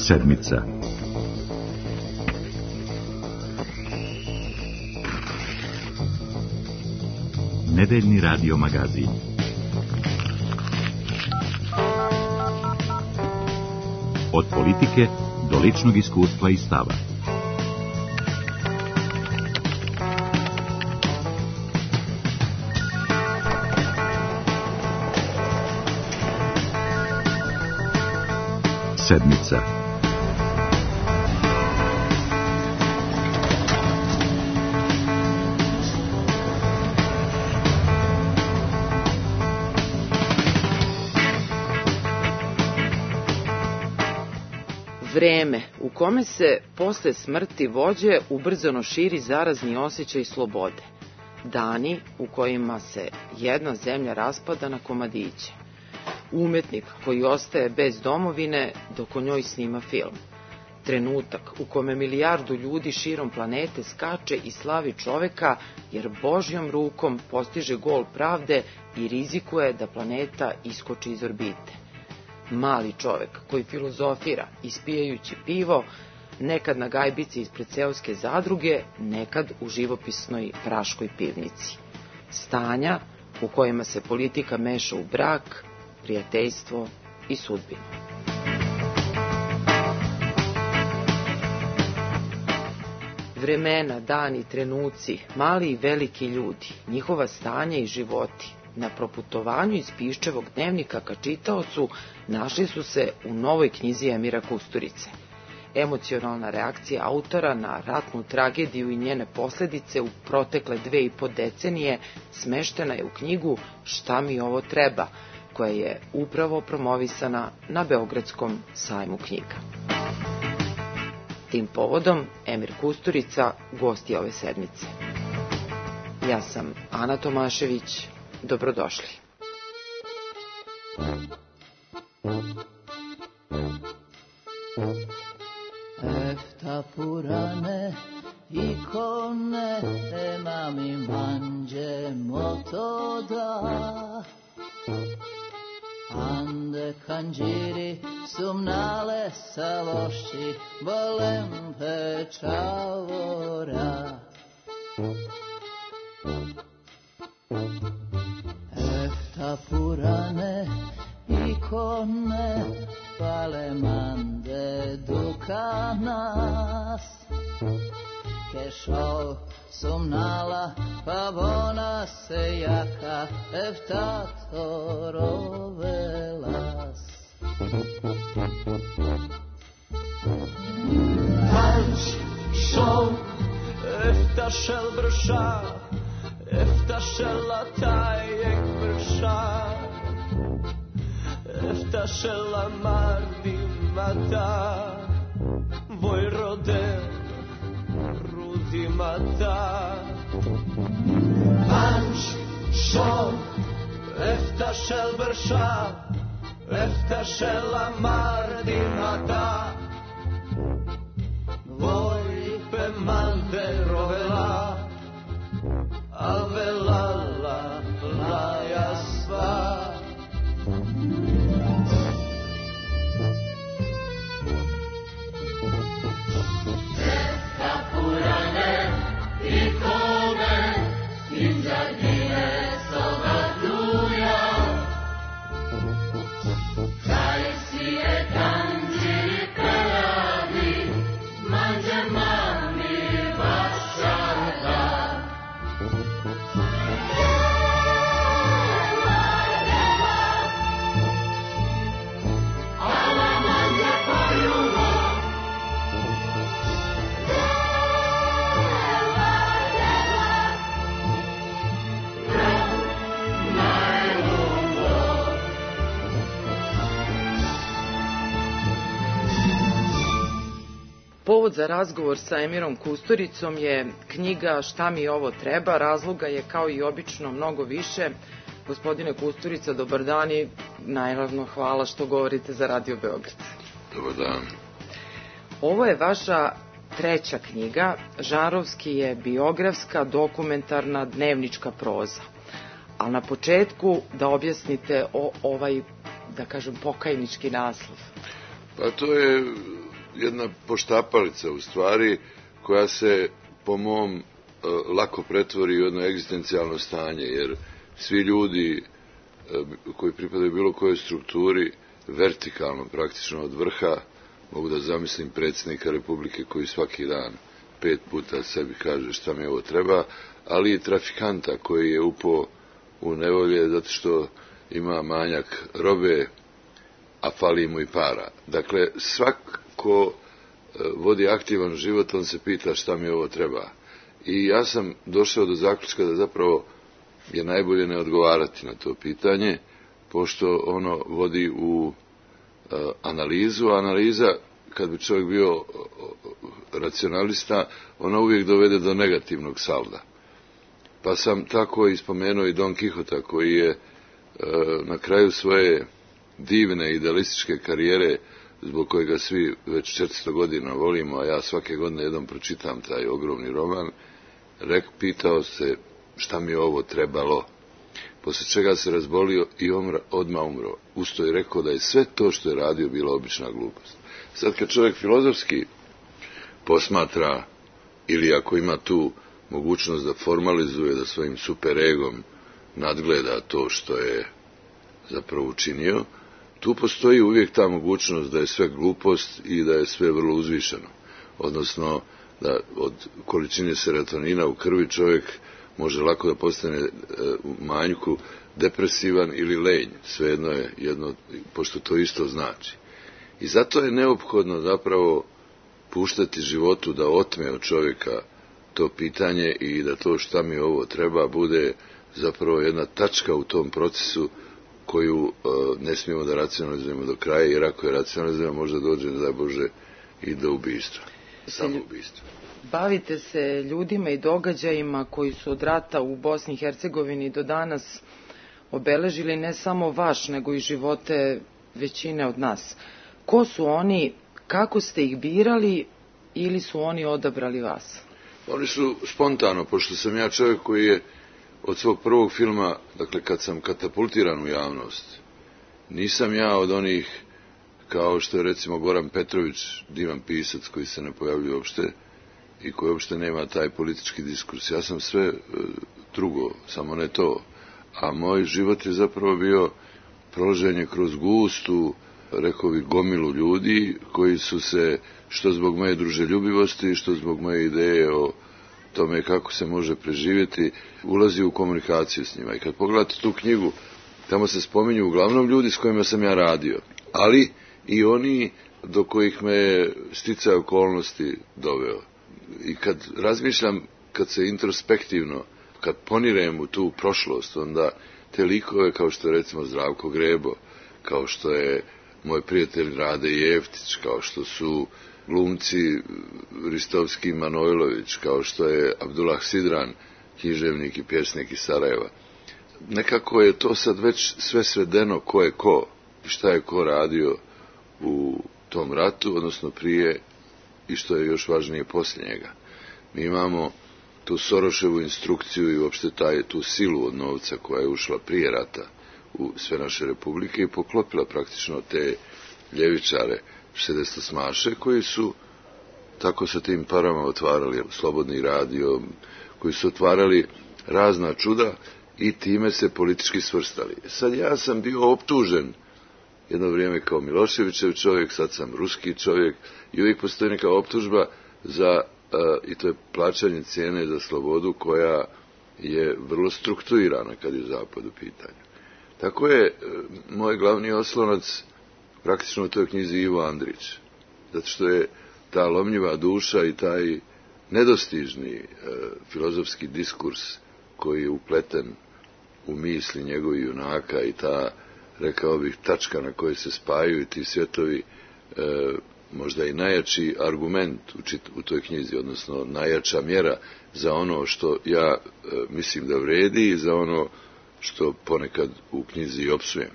Sedmica. Nedeljni radio magazin. Od politike do ličnog iskustva i stava. Sedmica. Vreme u kome se posle smrti vođe ubrzano širi zarazni osjećaj slobode. Dani u kojima se jedna zemlja raspada na komadiće. Umetnik koji ostaje bez domovine dok o njoj snima film. Trenutak u kome milijardu ljudi širom planete skače i slavi čoveka jer Božjom rukom postiže gol pravde i rizikuje da planeta iskoči iz orbite. Mali čovek koji filozofira ispijajući pivo, nekad na gajbici ispred seoske zadruge, nekad u živopisnoj Praškoj pivnici. Stanja u kojima se politika meša u brak, prijateljstvo i sudbinu. Vremena, dani, trenuci, mali i veliki ljudi, njihova stanja i životi, na proputovanju iz Piščevog dnevnika ka čitaocu našli su se u novoj knjizi Emira Kusturice. Emocionalna reakcija autora na ratnu tragediju i njene posledice u protekle 2,5 decenije smeštena je u knjigu Šta mi ovo treba, koja je upravo promovisana na Beogradskom sajmu knjiga. Tim povodom Emir Kusturica gost je ove sedmice. Ja sam Ana Tomašević. Dobrodošli. Efta purane ikone emami manje motoda ande kanjiri sumnale saloši bolem pečavora Efta purane ikone palemande dukanas Kešao sumnala pavona se jaka efta torovelas Tanč šov efta šel brša Efta šela tajek brša Efta šela mardi mata Voj rode rudi mata Panč šov Efta šel brša Efta šela mardi mata Voj pe mande rovela Avelala laja sva Efta purane ikone Inđadine soga duja Kaj si je kanđiri peladi Manđe mami vašarda Povod za razgovor sa Emirom Kusturicom je knjiga Šta mi ovo treba. Razloga je kao i obično mnogo više. Gospodine Kusturica, dobar dan i naravno hvala što govorite za Radio Beograd. Dobar dan. Ovo je vaša treća knjiga, žanrovski je biografska, dokumentarna, dnevnička proza. Ali na početku da objasnite ovaj, da kažem, pokajnički naslov. Pa to je jedna poštapalica u stvari koja se po mom lako pretvori u jedno egzistencijalno stanje, jer svi ljudi koji pripadaju bilo kojoj strukturi vertikalno praktično od vrha, mogu da zamislim predsjednika Republike koji svaki dan 5 puta sebi kaže šta mi ovo treba, ali i trafikanta koji je upao u nevolje zato što ima manjak robe, a fali mu i para. Dakle, svako vodi aktivan život, on se pita šta mi ovo treba. I ja sam došao do zaključka da zapravo je najbolje ne odgovarati na to pitanje, pošto ono vodi u analizu, a analiza, kad bi čovjek bio racionalista, ona uvijek dovede do negativnog salda. Pa sam tako ispomenuo i Don Kihota, koji je na kraju svoje divne idealističke karijere, zbog kojega svi već 400 godina volimo, a ja svake godine jednom pročitam taj ogromni roman, pitao se šta mi je ovo trebalo, poslije čega se razbolio i odmah umro. Usto je rekao da je sve to što je radio bila obična glupost. Sad kad čovjek filozofski posmatra, ili ako ima tu mogućnost da formalizuje, da svojim superegom nadgleda to što je zapravo učinio, tu postoji uvijek ta mogućnost da je sve glupost i da je sve vrlo uzvišeno. Odnosno, da od količine serotonina u krvi čovjek može lako da postane u manjku depresivan ili lenj. Svejedno je jedno, pošto to isto znači. I zato je neophodno zapravo puštati životu da otme od čovjeka to pitanje i da to šta mi ovo treba bude zapravo jedna tačka u tom procesu koju ne smijemo da racionalizujemo do kraja, jer ako je racionalizujemo možda dođe, ne daj Bože, i do ubistva. Samoubistva. Bavite se ljudima i događajima koji su od rata u Bosni i Hercegovini do danas obeležili ne samo vaš, nego i živote većine od nas. Ko su oni, kako ste ih birali ili su oni odabrali vas? Oni su spontano, pošto sam ja čovjek koji je od svog prvog filma, dakle kad sam katapultiran u javnost, nisam ja od onih kao što je recimo Goran Petrović, divan pisac koji se ne pojavljuje uopšte i koji uopšte nema taj politički diskurs. Ja sam sve drugo, samo ne to. A moj život je zapravo bio prolaženje kroz gustu, rekao bih, gomilu ljudi koji su se, što zbog moje druželjubivosti, što zbog moje ideje o tome kako se može preživjeti, ulazi u komunikaciju s njima. I kad pogledate tu knjigu, tamo se spominju uglavnom ljudi s kojima sam ja radio, ali i oni do kojih me je sticaj okolnosti doveo. I kad razmišljam, kad se introspektivno, kad ponirem u tu prošlost, onda te likove kao što je recimo Zdravko Grebo, kao što je moj prijatelj Rade Jeftić, kao što su glumci Ristovski i Manojlović, kao što je Abdullah Sidran, književnik i pjesnik iz Sarajeva. Nekako je to sad već sve svedeno ko je ko i šta je ko radio u tom ratu, odnosno prije i što je još važnije poslije njega. Mi imamo tu Soroševu instrukciju i uopšte tu silu od novca koja je ušla prije rata u sve naše republike i poklopila praktično te ljevičare šedestosmaše koji su tako sa tim parama otvarali Slobodni radio, koji su otvarali razna čuda i time se politički svrstali. Sad ja sam bio optužen jedno vrijeme kao Miloševićev čovjek, sad sam ruski čovjek i uvijek postoji neka optužba za, i to je plaćanje cijene za slobodu koja je vrlo strukturirana kad je Zapad u pitanju. Tako je moj glavni oslonac praktično u toj knjizi Ivo Andrić, zato što je ta lomljiva duša i taj nedostižni filozofski diskurs koji je upleten u misli njegovih junaka i ta, rekao bih, tačka na kojoj se spajaju ti svjetovi, možda i najjači argument u toj knjizi, odnosno najjača mjera za ono što ja mislim da vredi i za ono što ponekad u knjizi i opsujem.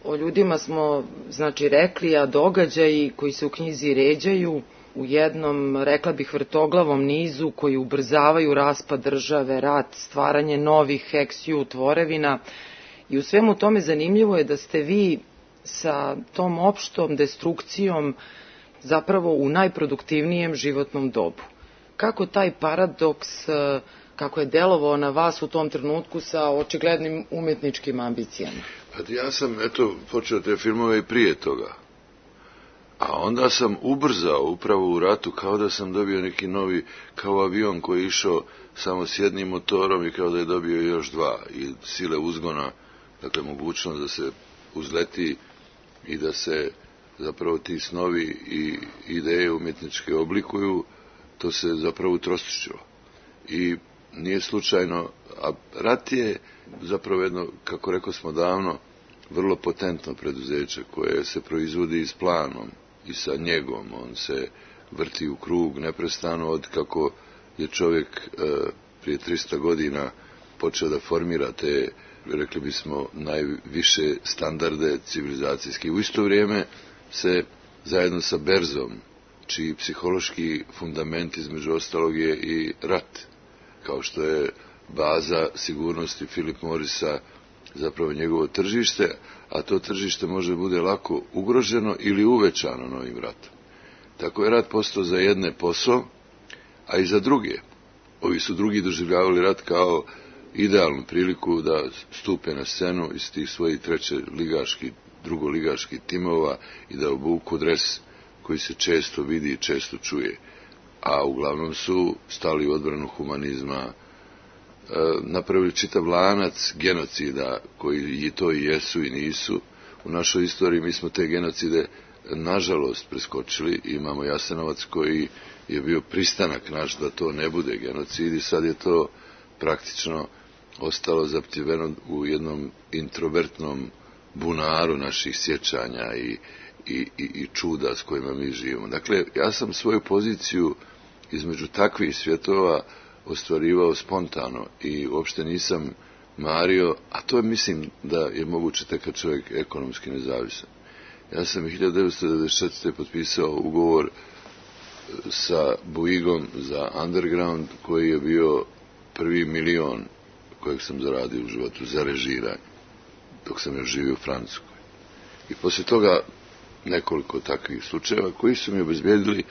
O ljudima smo, znači, rekli, a događaji koji se u knjizi ređaju u jednom, rekla bih, vrtoglavom nizu koji ubrzavaju raspad države, rat, stvaranje novih heksiju, tvorevina. I u svemu tome zanimljivo je da ste vi sa tom opštom destrukcijom zapravo u najproduktivnijem životnom dobu. Kako taj paradoks, kako je delovao na vas u tom trenutku sa očiglednim umetničkim ambicijama? Pa ja sam, počeo te filmove i prije toga. A onda sam ubrzao upravo u ratu, kao da sam dobio neki novi, kao avion koji je išao samo s jednim motorom i kao da je dobio još dva. I sile uzgona, dakle mogućnost da se uzleti i da se zapravo ti snovi i ideje umjetničke oblikuju, to se zapravo utrostručilo. I nije slučajno, a rat je zapravo jedno, kako rekao smo davno, vrlo potentno preduzeće koje se proizvodi s planom i sa njegom. On se vrti u krug neprestano od kako je čovjek prije 300 godina počeo da formira te, rekli bismo, najviše standarde civilizacijski. U isto vrijeme se zajedno sa berzom, čiji psihološki fundament između ostalog je i rat, kao što je baza sigurnosti Philip Morrisa zapravo njegovo tržište, a to tržište može bude lako ugroženo ili uvećano novim ratom. Tako je rat postao za jedne posao, a i za druge. Ovi su drugi doživljavali rat kao idealnu priliku da stupe na scenu iz tih svojih drugoligaških timova i da obuku dres koji se često vidi i često čuje. A uglavnom su stali u odbranu humanizma, napravili čitav lanac genocida koji i to i jesu i nisu. U našoj istoriji mi smo te genocide nažalost preskočili. Imamo Jasenovac koji je bio pristanak naš da to ne bude genocid i sad je to praktično ostalo zaptiveno u jednom introvertnom bunaru naših sjećanja i čuda s kojima mi živimo. Dakle, ja sam svoju poziciju između takvih svjetova ostvarivao spontano i uopšte nisam mario, a to je, mislim da je moguće tek kad čovjek ekonomski nezavisan. Ja sam 1994. potpisao ugovor sa Bouyguom za Underground, koji je bio prvi milion kojeg sam zaradio u životu za režiranje, dok sam još živio u Francuskoj. I poslije toga nekoliko takvih slučajeva koji su mi obezbijedili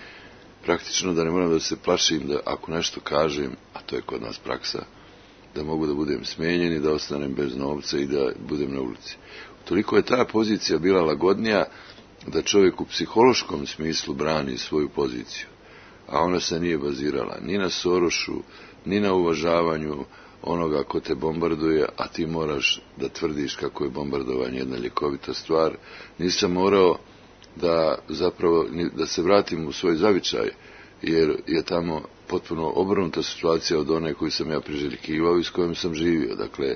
praktično da ne moram da se plašim da ako nešto kažem, a to je kod nas praksa, da mogu da budem smenjen i da ostanem bez novca i da budem na ulici. Toliko je ta pozicija bila lagodnija da čovjek u psihološkom smislu brani svoju poziciju, a ona se nije bazirala ni na Sorošu, ni na uvažavanju onoga ko te bombarduje, a ti moraš da tvrdiš kako je bombardovanje jedna ljekovita stvar. Nisam morao da se vratim u svoj zavičaj, jer je tamo potpuno obrnuta situacija od one koju sam ja priželjkivao i s kojom sam živio. Dakle,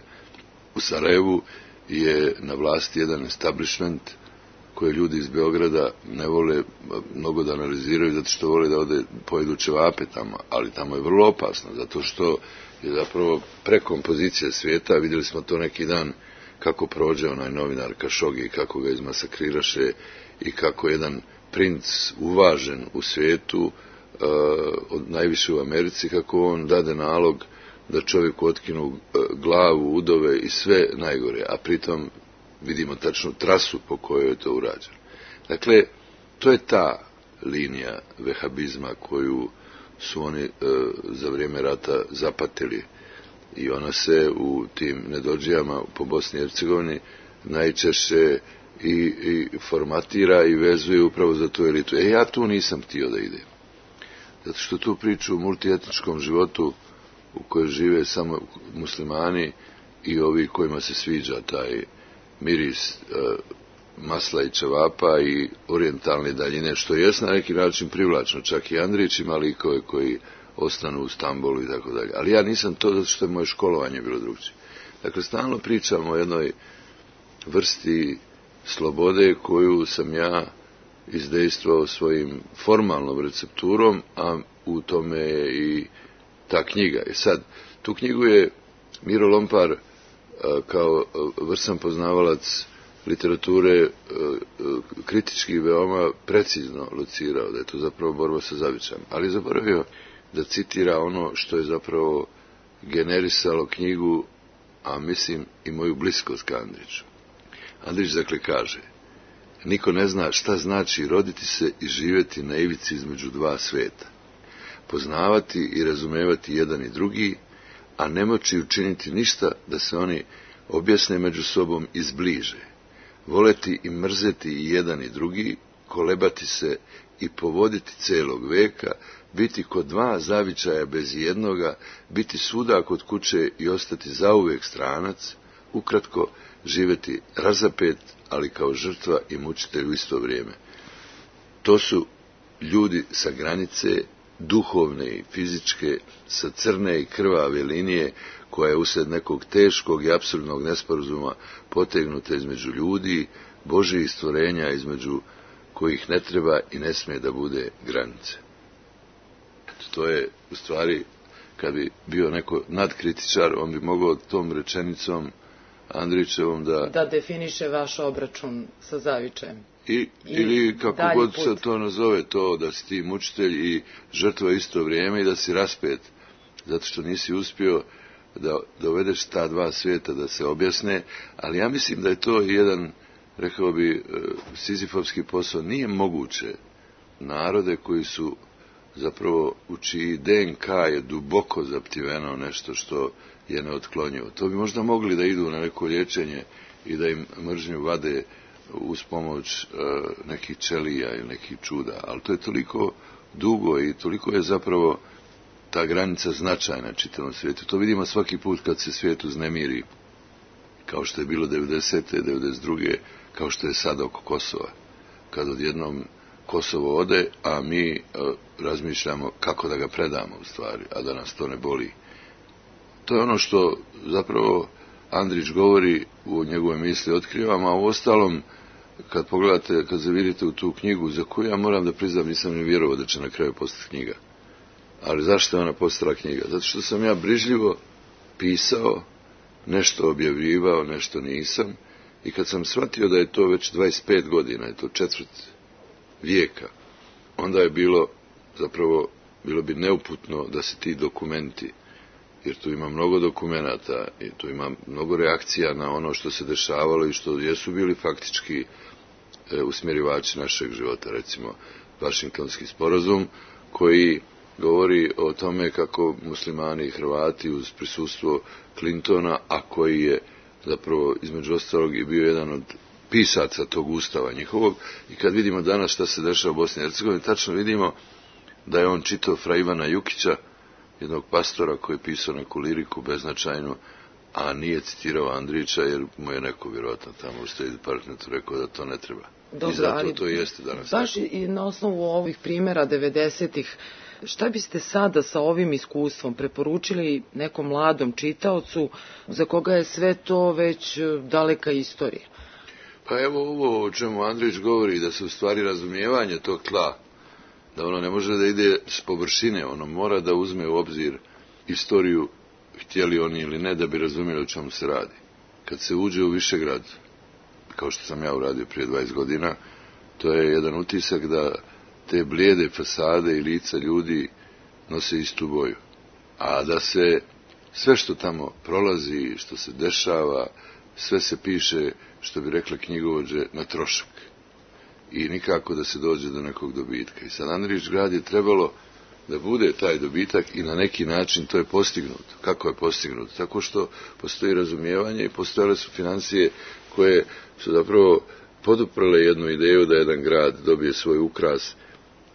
u Sarajevu je na vlasti jedan establishment koje ljudi iz Beograda ne vole mnogo da analiziraju zato što vole da pojedu ćevape tamo, ali tamo je vrlo opasno zato što je zapravo prekompozicija svijeta. Vidjeli smo to neki dan kako prođe onaj novinar Kašogi, kako ga izmasakriraše i kako jedan princ uvažen u svijetu, najviše u Americi, kako on dade nalog da čovjeku otkinu glavu, udove i sve najgore, a pritom vidimo tačnu trasu po kojoj je to urađeno. Dakle, to je ta linija vehabizma koju su oni za vrijeme rata zapatili i ona se u tim nedođijama po Bosni i Hercegovini najčešće i formatira i vezuje upravo za tu elitu. Ja tu nisam htio da idem. Zato što tu priču o multietničkom životu u kojoj žive samo muslimani i ovi kojima se sviđa taj miris masla i ćevapa i orijentalne daljine, što je na neki način privlačno. Čak i Andrić ima likove koji ostanu u Stambolu i tako dalje. Ali ja nisam to zato što je moje školovanje bilo drugčije. Dakle, stalno pričamo o jednoj vrsti slobode koju sam ja izdejstvao svojim formalnom recepturom, a u tome je i ta knjiga. I sad, tu knjigu je Miro Lompar kao vrsan poznavalac literature kritički veoma precizno locirao, da je to zapravo borba sa zavičajem. Ali zaboravio da citira ono što je zapravo generisalo knjigu, a mislim i moju bliskost ka Andriću. Andrić dakle kaže: Niko ne zna šta znači roditi se i živjeti na ivici između dva sveta. Poznavati i razumevati jedan i drugi, a ne moći učiniti ništa da se oni objasne među sobom i zbliže. Voleti i mrzeti i jedan i drugi, kolebati se i povoditi celog veka, biti kod dva zavičaja bez jednoga, biti svuda kod kuće i ostati zauvek stranac, ukratko živjeti razapet, ali kao žrtva i mučitelj u isto vrijeme. To su ljudi sa granice, duhovne i fizičke, sa crne i krvave linije, koja je usred nekog teškog i apsurdnog nesporazuma potegnuta između ljudi, Božjih stvorenja, između kojih ne treba i ne smije da bude granice. To je, u stvari, kad bi bio neko nadkritičar, on bi mogao tom rečenicom Andrićevom da definiše vaš obračun sa zavičajem. Ili kako god se to nazove, to da si ti mučitelj i žrtva isto vrijeme i da si raspet, zato što nisi uspio da dovedeš ta dva svijeta da se objasne, ali ja mislim da je to jedan, rekao bi, sizifovski posao. Nije moguće narode koji su zapravo, u čiji DNK je duboko zaptiveno nešto što je neotklonjivo. To bi možda mogli da idu na neko liječenje i da im mržnju vade uz pomoć nekih ćelija ili nekih čuda, ali to je toliko dugo i toliko je zapravo ta granica značajna čitavom svijetu. To vidimo svaki put kad se svijet uznemiri, kao što je bilo 90. 92. kao što je sada oko Kosova. Kad odjednom Kosovo ode, a mi razmišljamo kako da ga predamo u stvari, a da nas to ne boli. To je ono što zapravo Andrić govori, u njegove misli otkrivamo, a u ostalom, kad pogledate, kad zavirite u tu knjigu, za koju ja moram da priznam, nisam ni vjerovao da će na kraju postati knjiga. Ali zašto je ona postala knjiga? Zato što sam ja brižljivo pisao, nešto objavljivao, nešto nisam, i kad sam shvatio da je to već 25 godina, je to četvrt vijeka, onda je bilo bi neuputno da se ti dokumenti, jer tu ima mnogo dokumenata i tu ima mnogo reakcija na ono što se dešavalo i što jesu bili faktički usmjerivači našeg života, recimo Vašingtonski sporazum, koji govori o tome kako muslimani i Hrvati uz prisustvo Clintona, a koji je zapravo između ostalog i bio jedan od pisaca tog ustava njihovog, i kad vidimo danas šta se dešava u Bosni i Hercegovini, tačno vidimo da je on čitao fra Ivana Jukića, jednog pastora koji je pisao neku liriku beznačajnu, a nije citirao Andrića, jer mu je neko vjerojatno tamo u State Departmentu rekao da to ne treba. Dobro, i zato to jeste danas. Baš i na osnovu ovih primjera 90-ih, šta biste sada sa ovim iskustvom preporučili nekom mladom čitaocu za koga je sve to već daleka istorija? Pa evo ovo o čemu Andrić govori, da se u stvari razumijevanje tog tla, da ono ne može da ide s površine, ono mora da uzme u obzir istoriju, htjeli oni ili ne, da bi razumjeli o čemu se radi. Kad se uđe u Višegrad, kao što sam ja uradio prije 20 godina, to je jedan utisak da te blijede fasade i lica ljudi nose istu boju. A da se sve što tamo prolazi, što se dešava, sve se piše, što bi rekla knjigovođe, na trošak. I nikako da se dođe do nekog dobitka. I sad Andrić grad je trebalo da bude taj dobitak i na neki način to je postignuto. Kako je postignuto? Tako što postoji razumijevanje i postojale su financije koje su zapravo poduprle jednu ideju da jedan grad dobije svoj ukras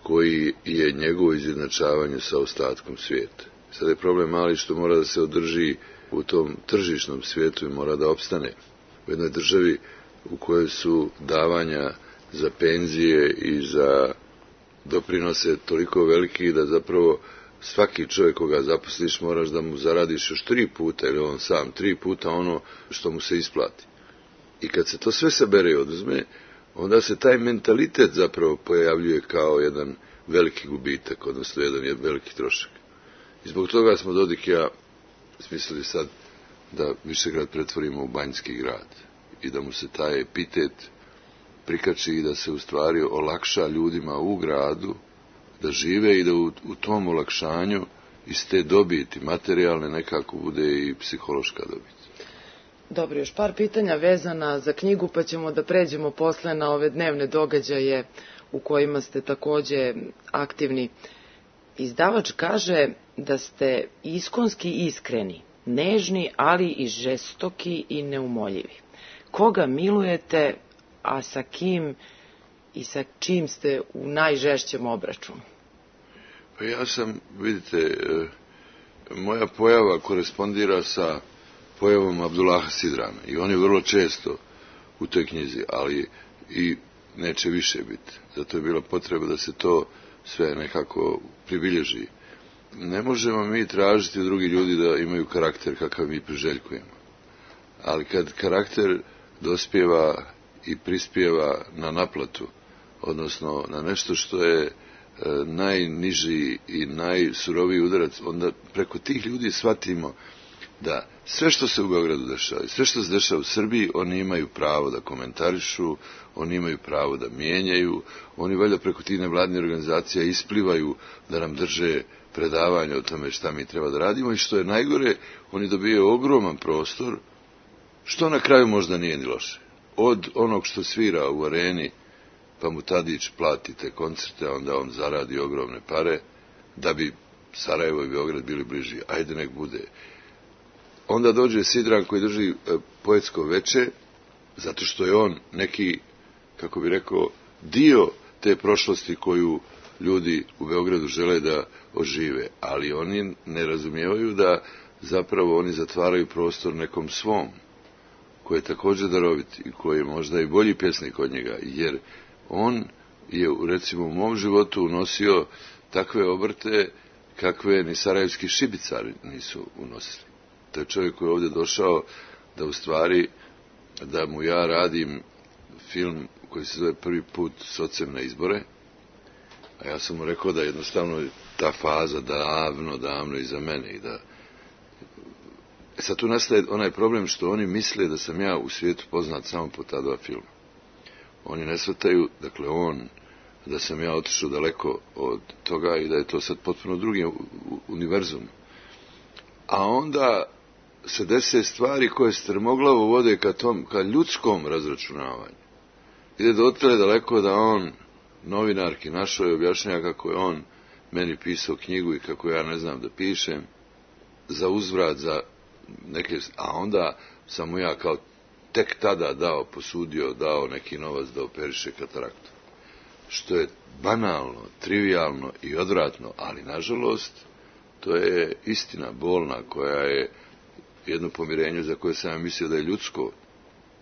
koji je njegovo izjednačavanje sa ostatkom svijeta. Sad je problem mali što mora da se održi u tom tržišnom svijetu i mora da opstane. U jednoj državi u kojoj su davanja za penzije i za doprinose toliko veliki da zapravo svaki čovjek koga zaposliš moraš da mu zaradiš još 3 puta, ili on sam 3 puta ono što mu se isplati. I kad se to sve sabere i oduzme, onda se taj mentalitet zapravo pojavljuje kao jedan veliki gubitak, odnosno jedan veliki trošak. I zbog toga smo Dodik i ja smislili sad da Višegrad pretvorimo u banjski grad i da mu se taj epitet prikači i da se u stvari olakša ljudima u gradu da žive i da u tom olakšanju iz te dobiti materijalne nekako bude i psihološka dobit. Dobro, još par pitanja vezana za knjigu, pa ćemo da pređemo posle na ove dnevne događaje u kojima ste takođe aktivni. Izdavač kaže da ste iskonski iskreni, nežni, ali i žestoki i neumoljivi. Koga milujete, a sa kim i sa čim ste u najžešćem obračunu? Pa ja sam, vidite, moja pojava korespondira sa pojavom Abdullaha Sidrana i on je vrlo često u toj knjizi, ali i neće više biti. Zato je bila potreba da se to sve nekako pribilježi. Ne možemo mi tražiti od drugih ljudi da imaju karakter kakav mi priželjkujemo. Ali kad karakter dospijeva i prispijeva na naplatu, odnosno na nešto što je najniži i najsuroviji udarac, onda preko tih ljudi shvatimo da sve što se u Beogradu dešava, sve što se dešava u Srbiji, oni imaju pravo da komentarišu, oni imaju pravo da mijenjaju, oni valjda preko tih nevladnih organizacija isplivaju da nam drže predavanja o tome šta mi treba da radimo i što je najgore, oni dobijaju ogroman prostor, što na kraju možda nije ni loše. Od onog što svira u areni, pa mu Tadić plati te koncerte, onda on zaradi ogromne pare, da bi Sarajevo i Beograd bili bliži. Ajde nek bude. Onda dođe Sidran koji drži poetsko veče, zato što je on neki, kako bi rekao, dio te prošlosti koju ljudi u Beogradu žele da ožive. Ali oni ne razumijevaju da zapravo oni zatvaraju prostor nekom svom, koji je također darovit i koji je možda i bolji pjesnik od njega, jer on je, recimo, u mom životu unosio takve obrte kakve ni sarajevski šibicari nisu unosili. To je čovjek koji je ovdje došao da u stvari, da mu ja radim film koji se zove Prvi put s ocem na izbore, a ja sam mu rekao da jednostavno ta faza davno iza mene i da... Sad tu nastaje onaj problem što oni misle da sam ja u svijetu poznat samo po ta dva filma. Oni ne shvataju, dakle da sam ja otišao daleko od toga i da je to sad potpuno drugi univerzum. A onda se dese stvari koje strmoglavo vode ka ljudskom razračunavanju. Ide dotle daleko da on novinarki našoj objašnjava kako je on meni pisao knjigu i kako ja ne znam da pišem, za uzvrat, za neke, a onda sam mu ja kao tek tada dao neki novac da operiše kataraktu. Što je banalno, trivijalno i odvratno, ali nažalost to je istina bolna koja je jedno pomirenje za koje sam ja mislio da je ljudsko,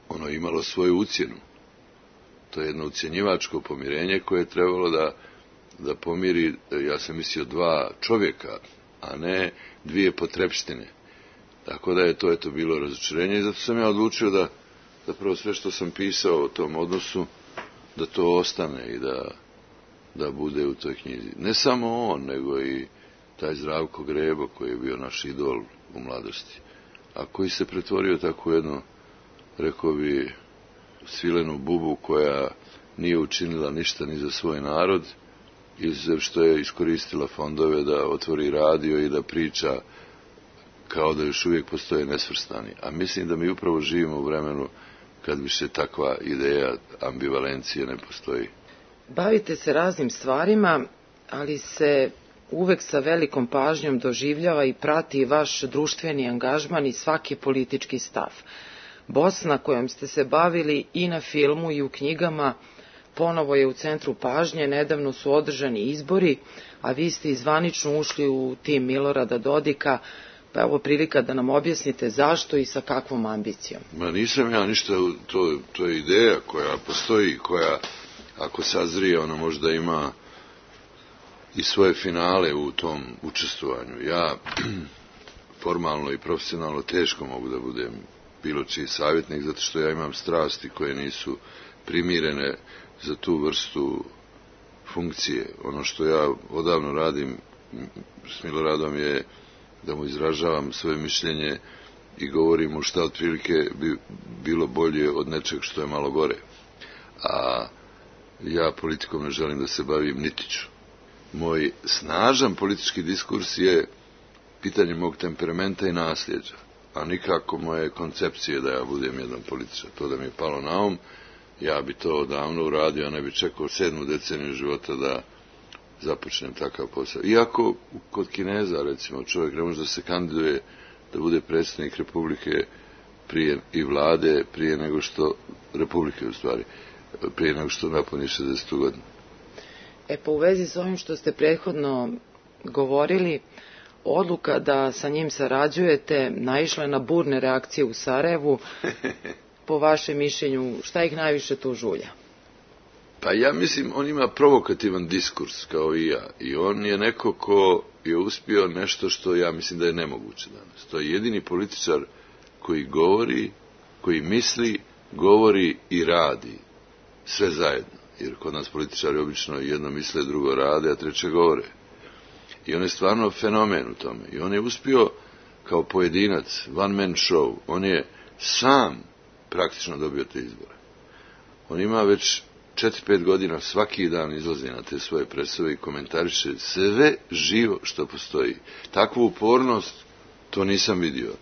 ono imalo svoju ucjenu. To je jedno ucjenjivačko pomirenje koje je trebalo da pomiri, ja sam mislio, dva čovjeka, a ne dvije potrepštine. Tako da je to bilo razočarenje i zato sam ja odlučio da zapravo sve što sam pisao o tom odnosu, da to ostane i da bude u toj knjizi. Ne samo on, nego i taj Zdravko Grebo koji je bio naš idol u mladosti, a koji se pretvorio tako jednu, rekao bi, svilenu bubu koja nije učinila ništa ni za svoj narod, izuzev što je iskoristila fondove da otvori radio i da priča kao da još uvijek postoje nesvrstani. A mislim da mi upravo živimo u vremenu kad više takva ideja ambivalencije ne postoji. Bavite se raznim stvarima, ali se uvek sa velikom pažnjom doživljava i prati vaš društveni angažman i svaki politički stav. Bosna kojom ste se bavili i na filmu i u knjigama ponovo je u centru pažnje, nedavno su održani izbori, a vi ste zvanično ušli u tim Milorada Dodika, pa evo prilika da nam objasnite zašto i sa kakvom ambicijom. Ma nisam ja ništa, to je ideja koja postoji, koja ako sazrije ona možda ima i svoje finale u tom učestvovanju. Ja formalno i profesionalno teško mogu da budem bilo čiji savjetnik, zato što ja imam strasti koje nisu primirene za tu vrstu funkcije. Ono što ja odavno radim s Miloradom je da mu izražavam svoje mišljenje i govorim mu šta otprilike bi bilo bolje od nečeg što je malo gore. A ja politikom ne želim da se bavim, niti ću. Moj snažan politički diskurs je pitanje mog temperamenta i nasljeđa. a nikako moje koncepcije da ja budem jedan političar. To da mi je palo na um, ja bi to davno uradio, a ne bi čekao 7. deceniju života da započnem takav posao. Iako kod Kineza, recimo, čovjek ne može da se kandiduje da bude predsjednik Republike prije i vlade, prije nego što, Republike u stvari, prije nego što napuni 60. godinu. Pa u vezi s ovim što ste prethodno govorili, odluka da sa njim sarađujete naišla je na burne reakcije u Sarajevu. Po vašem mišljenju, šta ih najviše tu žulja? Pa ja mislim, on ima provokativan diskurs, kao i ja. I on je neko ko je uspio nešto što ja mislim da je nemoguće danas. To je jedini političar koji govori, koji misli, govori i radi. Sve zajedno. Jer kod nas političari obično jedno misle, drugo rade, a treće govore. I on je stvarno fenomen u tome. I on je uspio kao pojedinac, one man show. On je sam praktično dobio te izbore. On ima već 4-5 godina, svaki dan izlazi na te svoje predstave i komentariše sve živo što postoji. Takvu upornost to nisam vidio,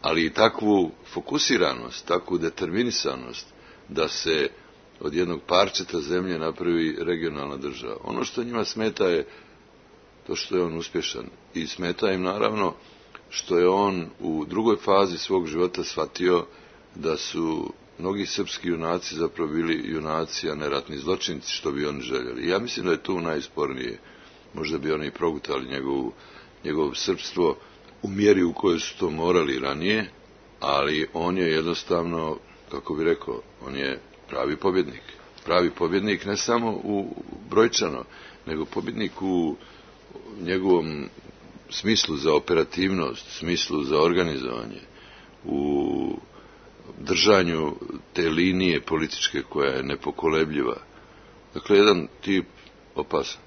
ali i takvu fokusiranost, takvu determinisanost da se od jednog parčeta zemlje napravi regionalna država. Ono što njima smeta je to što je on uspješan i smeta im naravno što je on u drugoj fazi svog života shvatio da su mnogi srpski junaci zapravo bili junaci, a ne ratni zločinci, što bi oni željeli. Ja mislim da je tu najspornije. Možda bi oni progutali njegovo srpstvo u mjeri u kojoj su to morali ranije, ali on je jednostavno, kako bi rekao, on je pravi pobjednik. Pravi pobjednik ne samo u brojčano, nego pobjednik u njegovom smislu za operativnost, smislu za organizovanje, u držanju te linije političke koja je nepokolebljiva. Dakle, jedan tip opasan.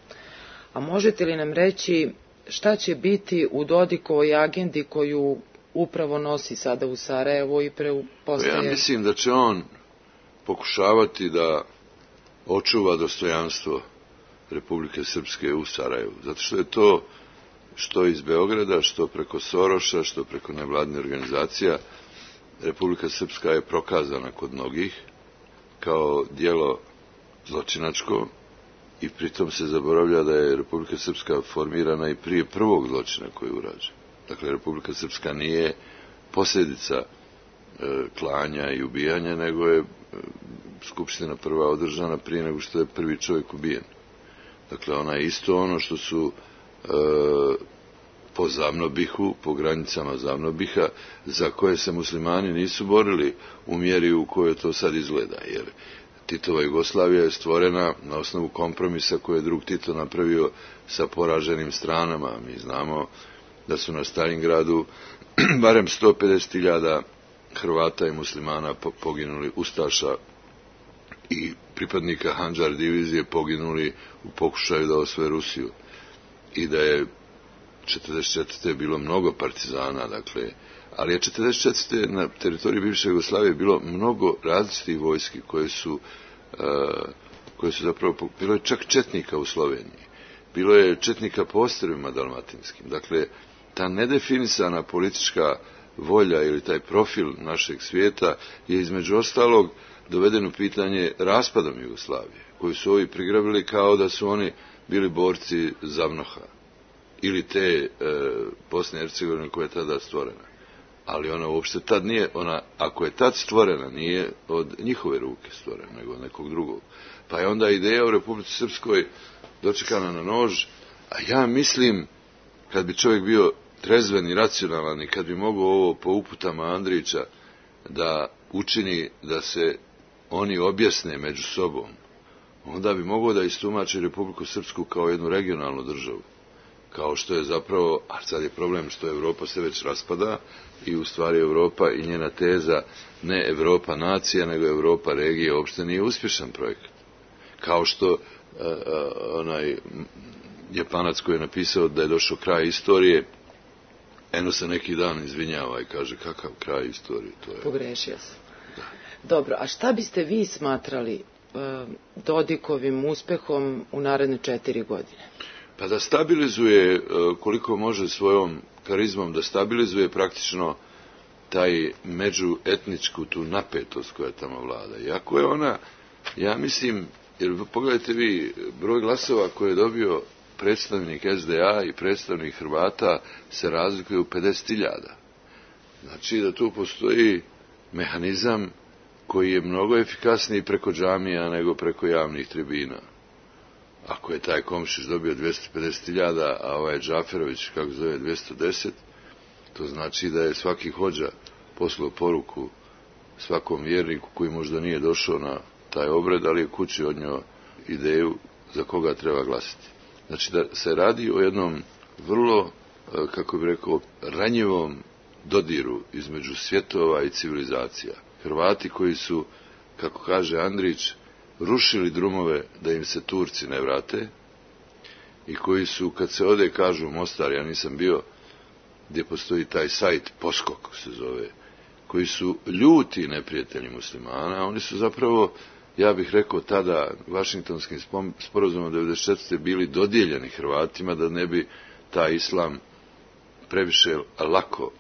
A možete li nam reći šta će biti u Dodikovoj agendi koju upravo nosi sada u Sarajevo i postaje... Ja mislim da će on pokušavati da očuva dostojanstvo Republike Srpske u Sarajevu. Zato što je to što iz Beograda, što preko Soroša, što preko nevladnih organizacija, Republika Srpska je prokazana kod mnogih kao djelo zločinačko i pritom se zaboravlja da je Republika Srpska formirana i prije prvog zločina koji je urađen. Dakle, Republika Srpska nije posljedica klanja i ubijanja, nego je skupština prva održana prije nego što je prvi čovjek ubijen. Dakle, ona je isto ono što su po Zavnobihu, po granicama Zavnobiha, za koje se muslimani nisu borili u mjeri u kojoj to sad izgleda, jer Titova Jugoslavija je stvorena na osnovu kompromisa koje je drug Tito napravio sa poraženim stranama. Mi znamo da su na Stalingradu barem 150.000 Hrvata i muslimana poginuli, ustaša i pripadnika Handžar divizije poginuli u pokušaju da osvoje Rusiju. I da je 44. bilo mnogo partizana, dakle, ali je 44. na teritoriji bivše Jugoslavije bilo mnogo različitih vojski koje su zapravo, bilo je čak četnika u Sloveniji, bilo je četnika po ostrvima dalmatinskim. Dakle, ta nedefinisana politička volja ili taj profil našeg svijeta je između ostalog doveden u pitanje raspadom Jugoslavije, koju su ovi prigrabili kao da su oni bili borci Zavnoha ili te Bosne i Hercegovine koja je tada stvorena. Ali ona uopšte tad nije, ona, ako je tad stvorena, nije od njihove ruke stvorena, nego od nekog drugog. Pa je onda ideja u Republici Srpskoj dočekana na nož, a ja mislim, kad bi čovjek bio trezven i racionalan i kad bi mogao ovo po uputama Andrića da učini da se oni objasne među sobom, onda bi mogao da istumači Republiku Srpsku kao jednu regionalnu državu. Kao što je zapravo, a sad je problem što Evropa se već raspada i u stvari Evropa i njena teza ne Evropa nacija, nego Evropa regije uopšte nije uspješan projekat. Kao što onaj Japanac koji je napisao da je došao kraj istorije, eno se neki dan izvinjava i kaže kakav kraj istorije to je. Pogrešio se. Da. Dobro, a šta biste vi smatrali Dodikovim uspehom u naredne 4 godine? Pa da stabilizuje koliko može svojom karizmom, da stabilizuje praktično taj međuetničku tu napetost koja tamo vlada. Iako je ona, ja mislim, jer pogledajte vi, broj glasova koje je dobio predstavnik SDA i predstavnik Hrvata se razlikuje u 50.000. Znači da tu postoji mehanizam koji je mnogo efikasniji preko džamija nego preko javnih tribina. Ako je taj Komšić dobio 250.000, a ovaj Džaferović, kako zove, 210, to znači da je svaki hođa poslao poruku svakom vjerniku koji možda nije došao na taj obred, ali je kući odnio ideju za koga treba glasiti. Znači da se radi o jednom vrlo, kako bih rekao, ranjivom dodiru između svjetova i civilizacija. Hrvati koji su, kako kaže Andrić, rušili drumove da im se Turci ne vrate i koji su, kad se ode, kažu u Mostar, ja nisam bio, gdje postoji taj sajt Poskok se zove, koji su ljuti neprijatelji muslimana, oni su zapravo, ja bih rekao tada, Vašingtonskim sporazumom 1994. bili dodijeljeni Hrvatima da ne bi taj islam previše lako,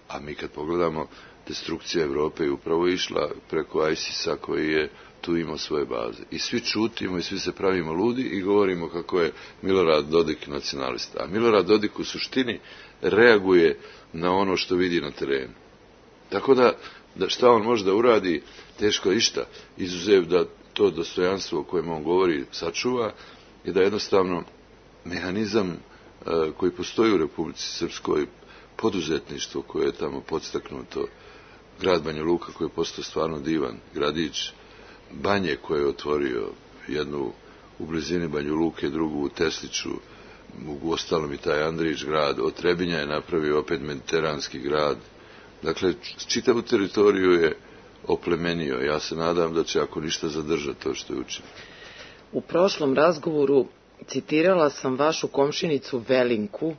a mi kad pogledamo, destrukcija Evrope je upravo išla preko ISIS-a koji je tu imao svoje baze. I svi čutimo i svi se pravimo ludi i govorimo kako je Milorad Dodik nacionalista. A Milorad Dodik u suštini reaguje na ono što vidi na terenu. Tako da šta on može da uradi, teško išta, izuzev da to dostojanstvo o kojem on govori sačuva i da jednostavno mehanizam koji postoji u Republici Srpskoj, poduzetništvo koje je tamo podstaknuto, grad Banja Luka koji je postao stvarno divan gradić, Banje koje je otvorio, jednu u blizini Banja Luke, drugu u Tesliću, u ostalom i taj Andrić grad, od Trebinja je napravio opet mediteranski grad. Dakle, čitavu teritoriju je oplemenio. Ja se nadam da će, ako ništa, zadržati to što je učinio. U prošlom razgovoru citirala sam vašu komšinicu Velinku.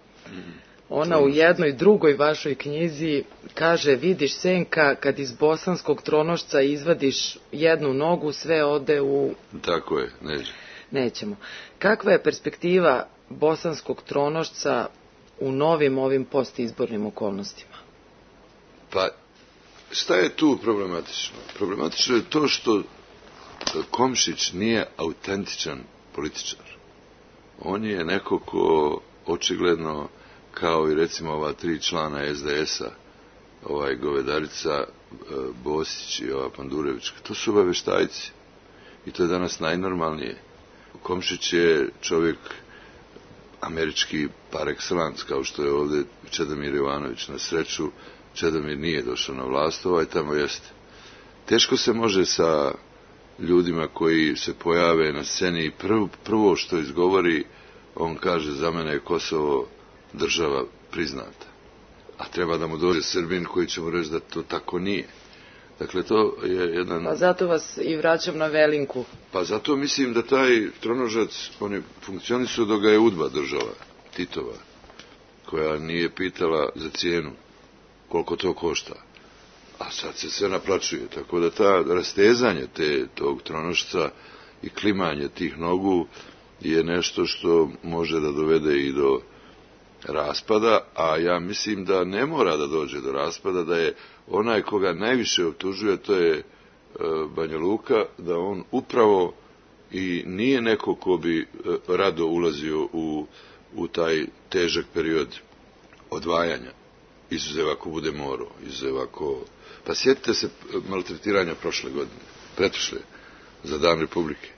Ona u jednoj drugoj vašoj knjizi kaže: vidiš, Senka, kad iz bosanskog tronošca izvadiš jednu nogu, sve ode u... Tako je, nećemo. Kakva je perspektiva bosanskog tronošca u novim ovim postizbornim okolnostima? Pa, šta je tu problematično? Problematično je to što Komšić nije autentičan političar. On je neko ko očigledno, kao i recimo ova 3 člana SDS-a, ovaj Govedarica, Bosić i ova Pandurevićka, to su obaveštajci. I to je danas najnormalnije. Komšić je čovjek američki par excellence, kao što je ovdje Čedomir Jovanović. Na sreću, Čedomir nije došao na vlast, ovaj tamo jeste. Teško se može sa ljudima koji se pojave na sceni i prvo što izgovori, on kaže: za mene je Kosovo država priznata. A treba da mu dođe Srbin koji će mu reći da to tako nije. Dakle, to je jedan... Pa zato vas i vraćam na Velinku. Pa zato mislim da taj tronožac, oni funkcionisuju dok ga je UDBA država, Titova, koja nije pitala za cijenu koliko to košta. A sad se sve naplaćuje. Tako da ta rastezanje tog tronošca i klimanje tih nogu je nešto što može da dovede i do raspada, a ja mislim da ne mora da dođe do raspada, da je onaj koga najviše optužuje, to je Banja Luka, da on upravo i nije neko ko bi rado ulazio u taj težak period odvajanja, izuzev ako bude morao, izuzev ako... Pa sjetite se maltretiranja prošle godine, pretprošle, za Dan Republike.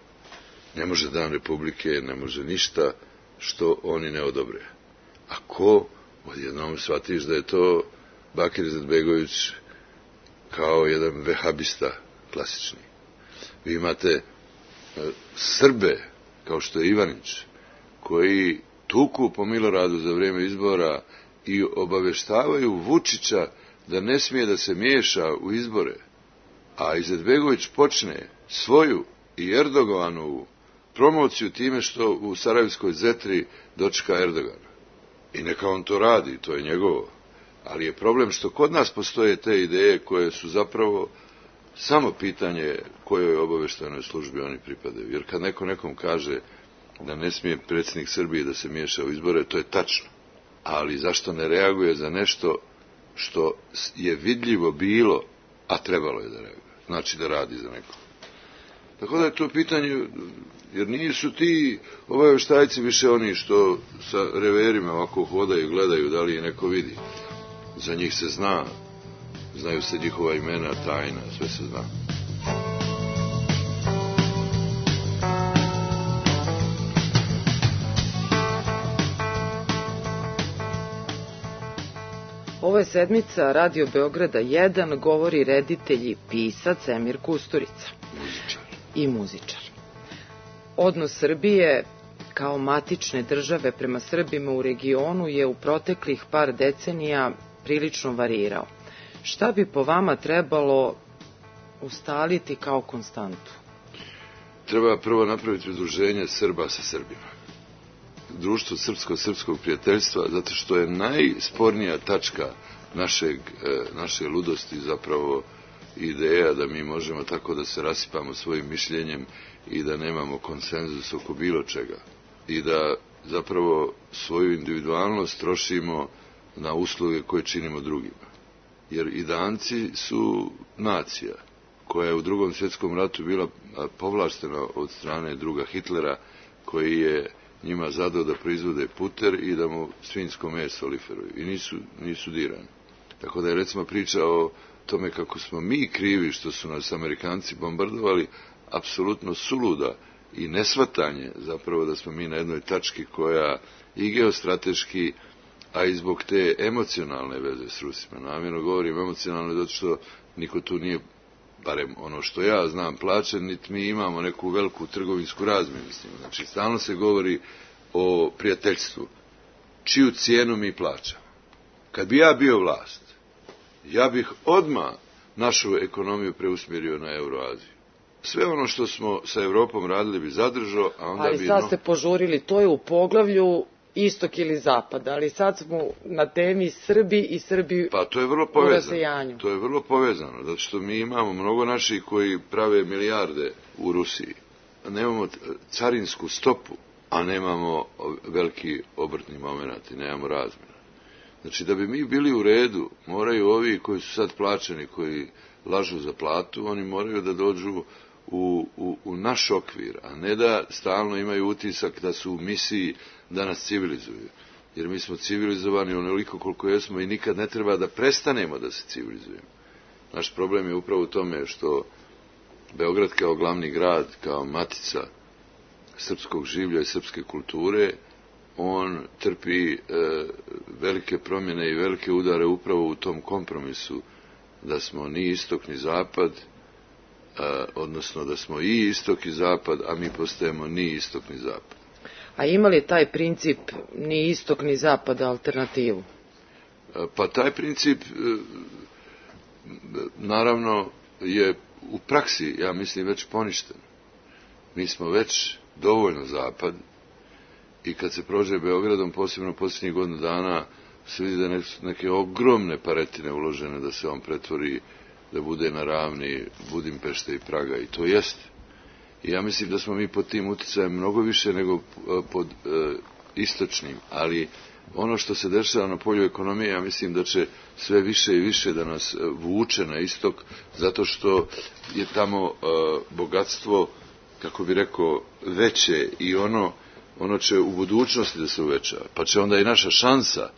Ne može Dan Republike, ne može ništa što oni ne odobre. Ako odjednom shvatiš da je to Bakir Izetbegović kao jedan vehabista klasični. Vi imate Srbe, kao što je Ivanić, koji tuku po Miloradu za vrijeme izbora i obaveštavaju Vučića da ne smije da se miješa u izbore, a Izetbegović počne svoju i Erdoganovu promociju time što u Sarajevskoj Zetri dočeka Erdogana. I neka on to radi, to je njegovo. Ali je problem što kod nas postoje te ideje koje su zapravo samo pitanje kojoj obaveštajnoj službi oni pripadaju. Jer kad neko nekom kaže da ne smije predsjednik Srbije da se miješa u izbore, to je tačno. Ali zašto ne reaguje za nešto što je vidljivo bilo, a trebalo je da reaguje. Znači da radi za nekog. Tako da je to pitanje, jer nisu ti obavještajci više oni što sa reverima ovako hodaju i gledaju da li je neko vidi. Za njih se zna, znaju se njihova imena, tajna, sve se zna. Ovo je sedmica Radio Beograda 1, govori reditelj i pisac Emir Kusturica. Muzičar. I muzičar. Odnos Srbije kao matične države prema Srbima u regionu je u proteklih par decenija prilično varirao. Šta bi po vama trebalo ustaliti kao konstantu? Treba prvo napraviti udruženje Srba sa Srbima. Društvo srpskog prijateljstva, zato što je najspornija tačka naše ludosti zapravo ideja da mi možemo tako da se rasipamo svojim mišljenjem i da nemamo konsenzus oko bilo čega. I da zapravo svoju individualnost trošimo na usluge koje činimo drugima. Jer i Danci su nacija koja je u Drugom svjetskom ratu bila povlaštena od strane druga Hitlera, koji je njima zadao da proizvode puter i da mu svinjsko meso liferuju. I nisu dirani. Tako da je recimo priča o tome kako smo mi krivi što su nas Amerikanci bombardovali, apsolutno suluda i nesvatanje zapravo da smo mi na jednoj tački koja i geostrateški, a i zbog te emocionalne veze s Rusima. Namjerno govorim emocionalno zato što niko tu nije, barem ono što ja znam, plaćen, niti mi imamo neku veliku trgovinsku razmjenu s njima. Znači, stalno se govori o prijateljstvu. Čiju cijenu mi plaćamo? Kad bi ja bio vlast, ja bih odmah našu ekonomiju preusmjerio na Euroaziju. Sve ono što smo sa Evropom radili bi zadržao, a onda ali bi... sad ste požurili, to je u poglavlju istok ili zapad, ali sad smo na temi Srbi i Srbi pa to je vrlo u rasejanju. To je vrlo povezano, zato što mi imamo mnogo naših koji prave milijarde u Rusiji. Nemamo carinsku stopu, a nemamo veliki obrtni moment i nemamo razmjena. Znači, da bi mi bili u redu, moraju ovi koji su sad plaćeni, koji lažu za platu, oni moraju da dođu u naš okvir, a ne da stalno imaju utisak da su u misiji da nas civilizuju. Jer mi smo civilizovani onoliko koliko jesmo i nikad ne treba da prestanemo da se civilizujemo. Naš problem je upravo u tome što Beograd kao glavni grad, kao matica srpskog življa i srpske kulture, on trpi velike promjene i velike udare upravo u tom kompromisu da smo ni istok ni zapad, odnosno da smo i istok i zapad, a mi postajemo ni istok ni zapad. A ima li taj princip ni istok ni zapad alternativu? Pa taj princip naravno je u praksi, ja mislim, već poništen. Mi smo već dovoljno zapad i kad se prođe Beogradom, posebno posljednjih godinu dana, se vidi da neke ogromne paretine uložene da se on pretvori, da bude na ravni Budimpešte i Praga, i to jeste. I ja mislim da smo mi pod tim uticajem mnogo više nego pod istočnim, ali ono što se dešava na polju ekonomije, ja mislim da će sve više i više da nas vuče na istok, zato što je tamo bogatstvo, kako bi rekao, veće i ono će u budućnosti da se uveća, pa će onda i naša šansa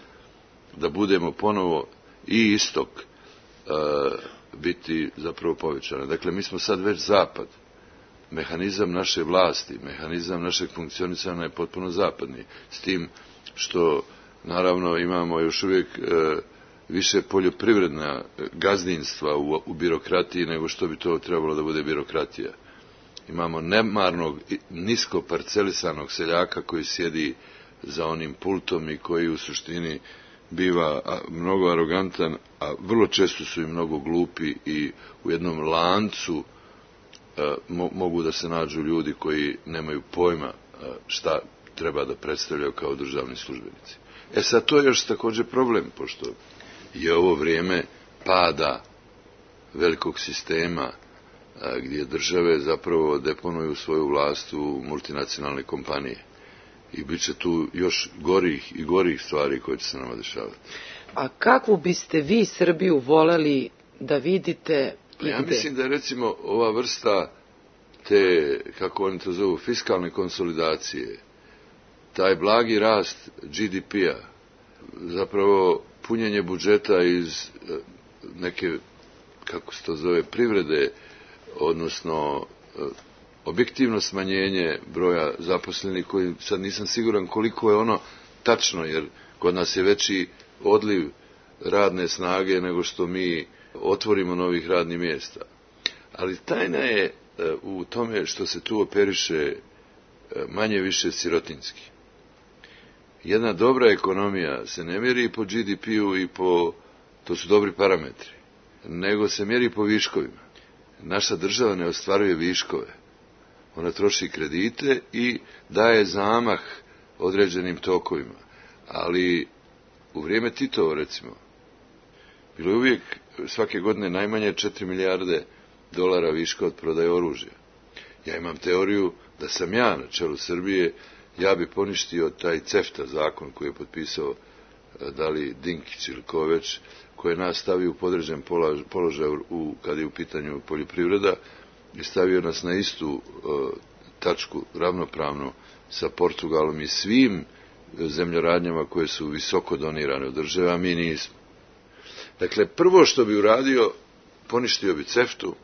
da budemo ponovo i istok biti zapravo povećana. Dakle, mi smo sad već zapad. Mehanizam naše vlasti, mehanizam našeg funkcionisanja je potpuno zapadni. S tim što, naravno, imamo još uvijek više poljoprivredna gazdinstva u birokratiji nego što bi to trebalo da bude birokratija. Imamo nemarnog, nisko parcelisanog seljaka koji sjedi za onim pultom i koji u suštini biva mnogo arogantan, a vrlo često su i mnogo glupi i u jednom lancu mogu da se nađu ljudi koji nemaju pojma šta treba da predstavljaju kao državni službenici. Sad to je još također problem, pošto je ovo vrijeme pada velikog sistema gdje države zapravo deponuju svoju vlast u multinacionalne kompanije. I bit će tu još gorih stvari koje će se nama dešavati. A kakvu biste vi Srbiju voleli da vidite i Ja gde? mislim da je recimo ova vrsta te, kako oni to zovu, fiskalne konsolidacije, taj blagi rast GDP-a, zapravo punjenje budžeta iz neke, kako se to zove, privrede, odnosno objektivno smanjenje broja zaposlenih, koji sad nisam siguran koliko je ono tačno, jer kod nas je veći odliv radne snage nego što mi otvorimo novih radnih mjesta. Ali tajna je u tome što se tu operiše manje više sirotinski. Jedna dobra ekonomija se ne mjeri po GDP-u i po, to su dobri parametri, nego se mjeri po viškovima. Naša država ne ostvaruje viškove. Ona troši kredite i daje zamah određenim tokovima. Ali u vrijeme Titova, recimo, bilo je uvijek svake godine najmanje 4 milijarde dolara viška od prodaje oružja. Ja imam teoriju da sam ja na čelu Srbije, ja bi poništio taj CEFTA zakon koji je potpisao da li Dinkić ili ko već, koji je nas stavio u podređen položaj kad je u pitanju poljoprivreda i stavio nas na istu tačku ravnopravno sa Portugalom i svim zemljoradnjama koje su visoko donirane od države, a mi nismo. Dakle, prvo što bi uradio, poništio bi CEFTA-u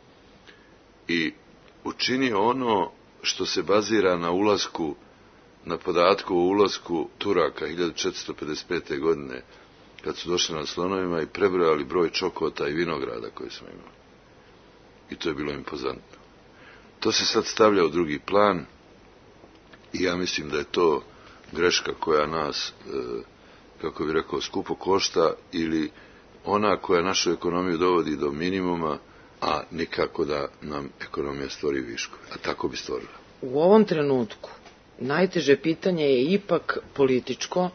i učinio ono što se bazira na ulasku, na podatku o ulasku Turaka 1455. godine, kad su došli na slonovima i prebrojali broj čokota i vinograda koje smo imali. I to je bilo impozantno. To se sad stavlja u drugi plan i ja mislim da je to greška koja nas, kako bi rekao, skupo košta ili ona koja našu ekonomiju dovodi do minimuma, a nikako da nam ekonomija stvori viškove. A tako bi stvorila. U ovom trenutku najteže pitanje je ipak političko,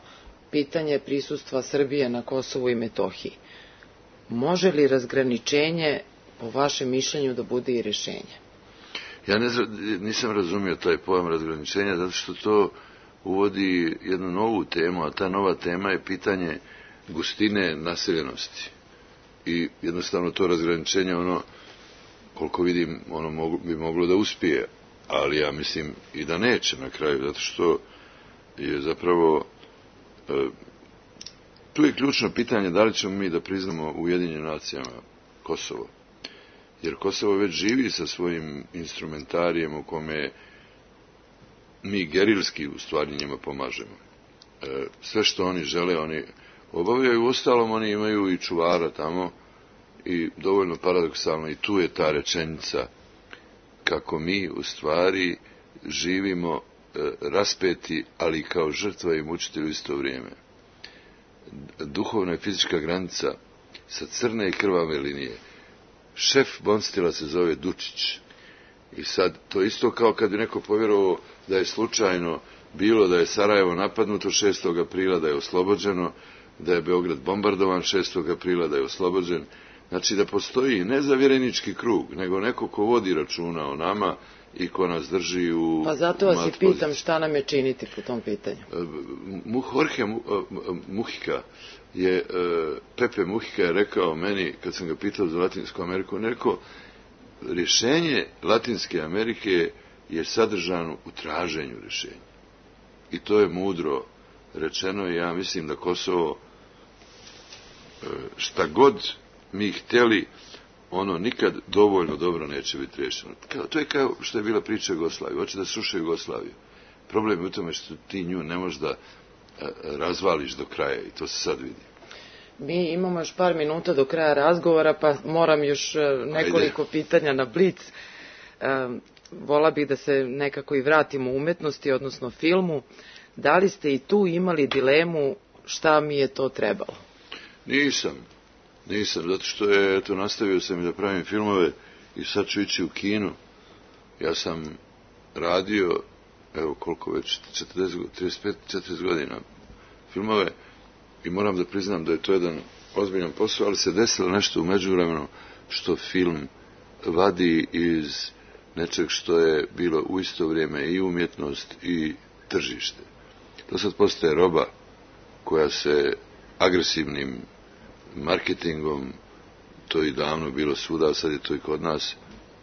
pitanje prisustva Srbije na Kosovu i Metohiji. Može li razgraničenje, po vašem mišljenju, da bude i rješenje? Ja nisam razumio taj pojam razgraničenja, zato što to uvodi jednu novu temu, a ta nova tema je pitanje gustine naseljenosti. I jednostavno to razgraničenje, ono, koliko vidim, ono bi moglo da uspije, ali ja mislim i da neće na kraju, zato što je zapravo tu je ključno pitanje da li ćemo mi da priznamo Ujedinjenim nacijama Kosovo. Jer Kosovo već živi sa svojim instrumentarijem u kome mi gerilski u stvari njima pomažemo. Sve što oni žele, oni obavljaju. Uostalom, oni imaju i čuvara tamo i dovoljno paradoksalno i tu je ta rečenica kako mi u stvari živimo raspeti, ali kao žrtva i mučitelj u isto vrijeme. Duhovna i fizička granica sa crne i krvave linije. Šef Bonstila se zove Dučić. I sad, to isto kao kad bi neko povjerovao da je slučajno bilo da je Sarajevo napadnuto 6. aprila, da je oslobođeno, da je Beograd bombardovan 6. aprila, da je oslobođen. Znači da postoji ne zavjerenički krug, nego neko ko vodi računa o nama i ko nas drži u Pa zato vas i pitam šta nam je činiti po tom pitanju. Jorge Mujica je, Pepe Mujica je rekao meni, kad sam ga pitao za Latinsku Ameriku, on je rekao, rješenje Latinske Amerike je sadržano u traženju rješenja. I to je mudro rečeno i ja mislim da Kosovo, šta god mi htjeli, ono nikad dovoljno dobro neće biti rješeno. To je kao što je bila priča Jugoslavije. Hoće da sruše Jugoslaviju. Problem je u tome što ti nju ne možeš da razvališ do kraja i to se sad vidi. Mi imamo još par minuta do kraja razgovora, pa moram još nekoliko pitanja na blic. Vola bih da se nekako i vratimo u umetnosti, odnosno filmu. Da li ste i tu imali dilemu šta mi je to trebalo? Nisam, zato što je, eto, nastavio sam i da pravim filmove i sad ću ići u kino. Ja sam radio, evo koliko već, 35-40 godina filmove i moram da priznam da je to jedan ozbiljan posao, ali se desilo nešto u međuvremenu što film vadi iz nečeg što je bilo u isto vrijeme i umjetnost i tržište. To sad postaje roba koja se agresivnim marketingom, to je davno bilo svuda, a sad je to i kod nas,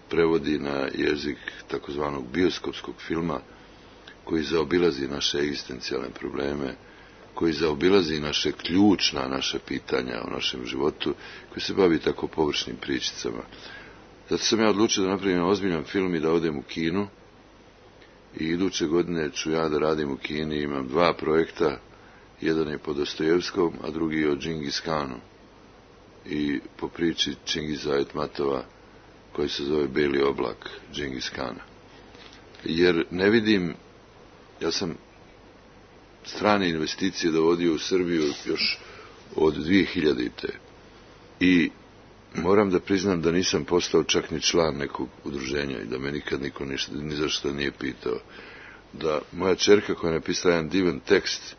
prevodi na jezik takozvanog bioskopskog filma, koji zaobilazi naše egzistencijalne probleme, koji zaobilazi naša pitanja o našem životu, koji se bavi tako površnim pričicama. Zato sam ja odlučio da napravim ozbiljan film i da odem u Kinu. I iduće godine ću ja da radim u Kini, imam 2 projekta, jedan je po Dostojevskom, a drugi je o Džingis Kanu. I po priči Čingiza Aitmatova, koji se zove Beli oblak Džingis Kana. Jer ne vidim, ja sam strane investicije dovodio u Srbiju još od 2000. I moram da priznam da nisam postao čak ni član nekog udruženja i da me nikad niko ništa, ni zašto nije pitao. Da moja ćerka koja je napisala jedan divan tekst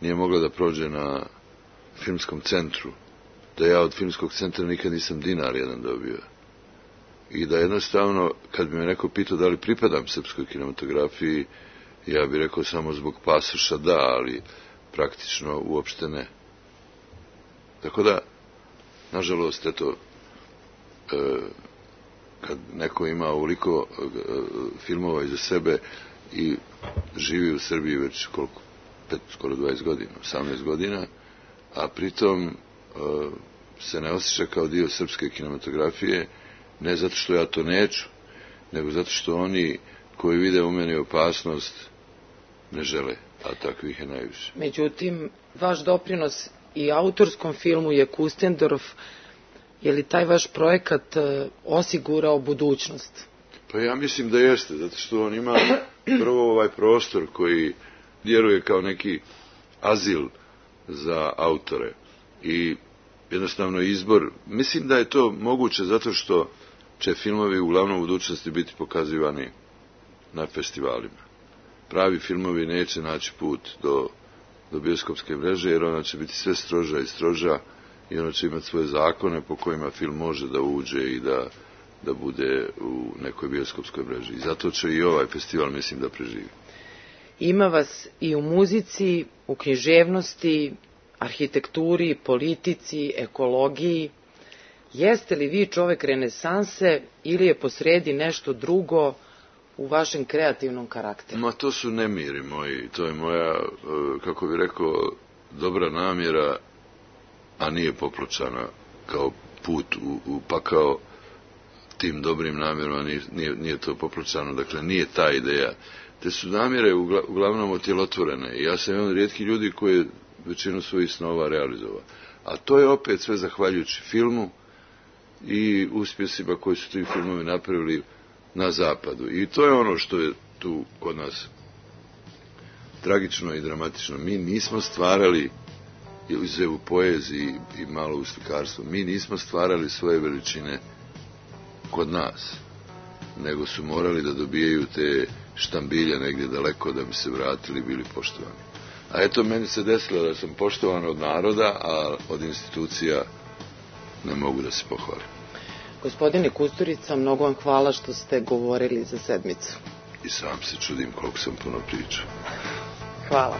nije mogla da prođe na filmskom centru. Da ja od filmskog centra nikad nisam dinar jedan dobio. I da jednostavno, kad bi me neko pitao da li pripadam srpskoj kinematografiji, ja bih rekao samo zbog pasoša da, ali praktično uopšte ne. Tako da, nažalost, eto, kad neko ima ovoliko filmova iza sebe i živi u Srbiji već koliko, skoro 20 godina, 18 godina, a pritom se ne osjeća kao dio srpske kinematografije, ne zato što ja to neću, nego zato što oni koji vide u meni opasnost ne žele, a takvih je najviše. Međutim, vaš doprinos i autorskom filmu je Kustendorf. Je li taj vaš projekat osigurao budućnost? Pa ja mislim da jeste, zato što on ima prvo ovaj prostor koji djeluje kao neki azil za autore i jednostavno izbor. Mislim da je to moguće zato što će filmovi uglavnom u budućnosti biti pokazivani na festivalima. Pravi filmovi neće naći put do bioskopske mreže, jer ona će biti sve stroža i stroža i ona će imati svoje zakone po kojima film može da uđe i da bude u nekoj bioskopskoj mreži. I zato će i ovaj festival, mislim, da preživi. Ima vas i u muzici, u književnosti, arhitekturi, politici, ekologiji. Jeste li vi čovek renesanse ili je posredi nešto drugo u vašem kreativnom karakteru? Ma to su nemiri moji, to je moja, kako bi rekao, dobra namjera, a nije popločana kao put u pakao tim dobrim namjerama, nije to popločano, dakle nije ta ideja. Te su namjere uglavnom otjelotvorene i ja sam jedan od rijetkih ljudi koji je većinu svojih snova realizovao. A to je opet sve zahvaljujući filmu i uspjesima koji su ti filmovi napravili na zapadu. I to je ono što je tu kod nas tragično i dramatično. Mi nismo stvarali, izuzev u poeziji i malo u slikarstvu, mi nismo stvarali svoje veličine kod nas, nego su morali da dobijaju te štambilje negdje daleko da bi se vratili i bili poštovani. A eto, meni se desilo da sam poštovan od naroda, a od institucija ne mogu da se pohvalim. Gospodine Kusturica, mnogo vam hvala što ste govorili za sedmicu. I sam se čudim koliko sam puno pričao. Hvala.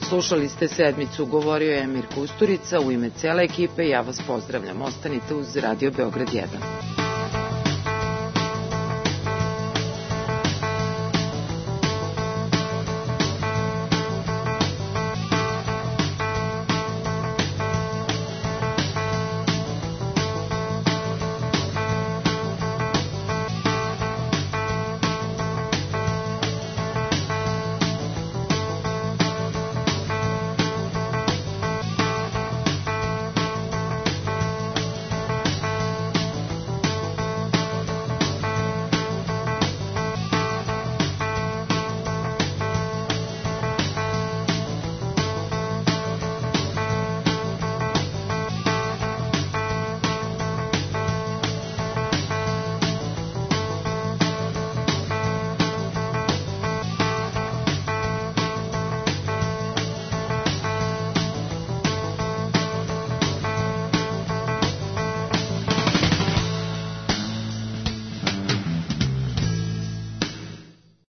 Slušali ste sedmicu, govorio je Emir Kusturica. U ime cele ekipe ja vas pozdravljam. Ostanite uz Radio Beograd 1.